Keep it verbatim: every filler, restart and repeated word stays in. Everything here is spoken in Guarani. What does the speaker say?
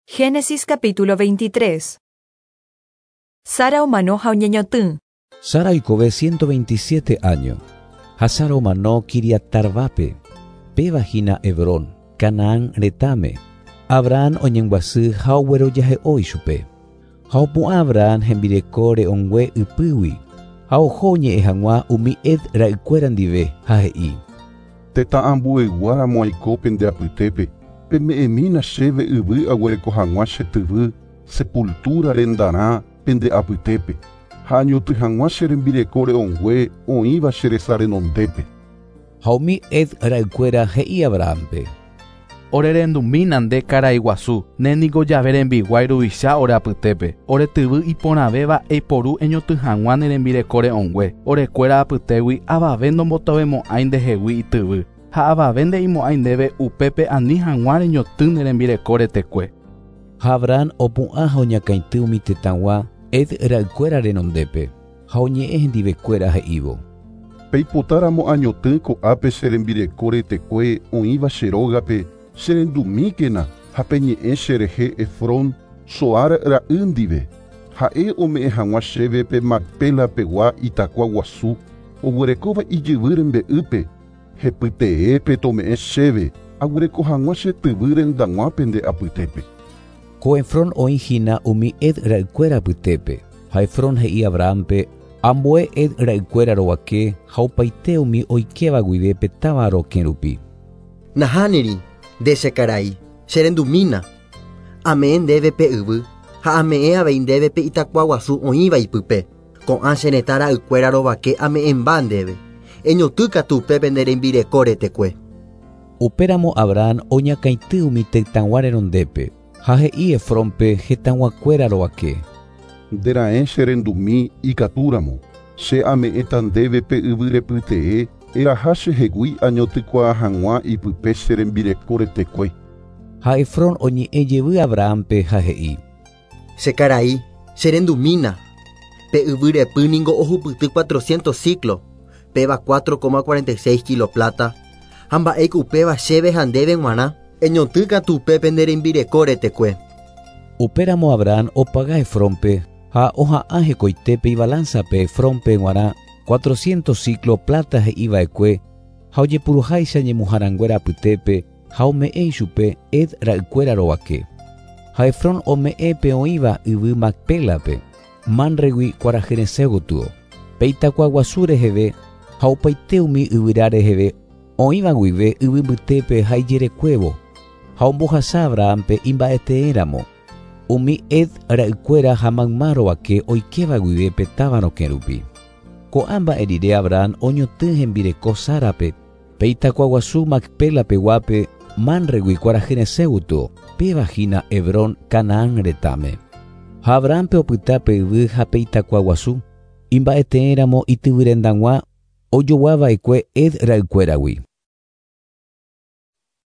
Génesis capítulo veintitrés. Sara omano ha oñeñotỹ. Sara oikove ciento veintisiete años. Ha Sara omano Quiriat-Arbape, péva hína Hebrón, Canaán retãme. Abraham oñembyasy ha oguerojahe'o ichupe. Ha opu'ã Abraham hembireko re'õngue ypýgui. Ha oho oñe'ẽ hag̃ua umi Het ra'ykuéra ndive ha he'i: Tetã ambueyguáramo aiko pende apytépe, peme'ẽmína chéve yvy aguereko hag̃ua che tyvy sepultura rendarã pende apytépe, ha añotỹ hag̃ua che rembireko re'õngue oĩva che resa renondépe. Ha umi Het ra'ykuéra he'i Abrahampe: Orerendumína nde karai guasu, ne niko Jahve rembiguái ruvicha ore apytépe, ore tyvy iporãvéva eiporu eñotỹ hag̃ua ne rembireko re'õngue, orekuéra apytégui avave ndombotovemo'ãi ndehegui ityvy, ha avave nde'imo'ãi ndéve upépe ani hag̃ua reñotỹ ne rembireko retekue. Ha Abraham opu'ã ha oñakãity umi tetãgua Het ra'ykuéra renondépe, ha oñe'ẽ hendivekuéra he'ívo: Peipotáramo añotỹ ko'ápe che rembireko retekue oĩva che rógape, cherendumíkena ha peñe'ẽ cherehe Efrón Zohar ra'y ndive, ha'e ome'ẽ hag̃ua chéve pe Macpela pegua itakua guasu, oguerekóva ijyvy rembe'ýpe, hepyteépe tome'ẽ chéve aguereko hag̃ua che tyvy rendag̃ua pende apytépe. Ko Efrón oĩ hína umi Het ra'ykuéra apytépe, ha Efrón he'i Abrahampe ambue Het ra'ykuéra rovake ha opaite umi oikéva guive pe táva rokẽ rupi. Nahániri, nde che karai, cherendumína. Ame'ẽ ndéve pe yvy ha ame'ẽ avei ndéve pe itakua guasu oĩva ipype. Ko'ã che retã ra'ykuéra rovake ame'ẽmba ndéve. Eñotỹ katu upépe nde rembireko retekue. Upéramo Abraham oñakãity umi tetãgua renondépe ha he'i Efrónpe hetãguakuéra rovake: Nderaẽ cherendumi ikatúramo, che ame'ẽta ndéve pe yvy repytee, eraha chehegui añotỹkuaa hag̃ua ipype che rembireko retekue. Ha Efrón oñe'ẽ jevy Abrahampe ha he'i: Che karai, cherendumína. Pe yvy repy ningo ohupyty cuatrocientos siclo, péva cuatro coma cuarenta y seis kilo plata, ha mba'éiko upéva chéve ha ndéve g̃uarã, eñotỹ katu upépe nde rembireko retekue. Upéramo Abraham opaga Efrónpe ha oha'ã hekoitépe ibalanzape Efrónpe g̃uarã cuatrocientos siclo plata he'iva'ekue ha ojepuruháicha ñemuharanguéra apytépe ha ome'ẽ ichupe Het ra'ykuéra rovake. Ha Efrón ome'ẽ pe oĩva yvy Macpélape, Manregui kuarahyresẽ gotyo, pe itakua guasu reheve ha opaite umi yvyra reheve oĩva guive yvy mbytépe ha ijerekuévo, ha ombohasa Abrahampe imba'eteéramo umi Het ra'ykuéra ha mayma rovake oikéva guive pe táva rokẽ rupi. Ko'ã mba'e rire Abraham oñotỹ hembireko Sárape, pe itakua guasu Macpela peguápe Manregui kuarahyresẽ gotyo, péva hína Hebrón Canaán retãme. Ha Abrahampe opyta pe yvy ha pe itakua guasu, imba'eteéramo ityvyrendag̃ua ojoguava'ekue Het ra'ykuéragui.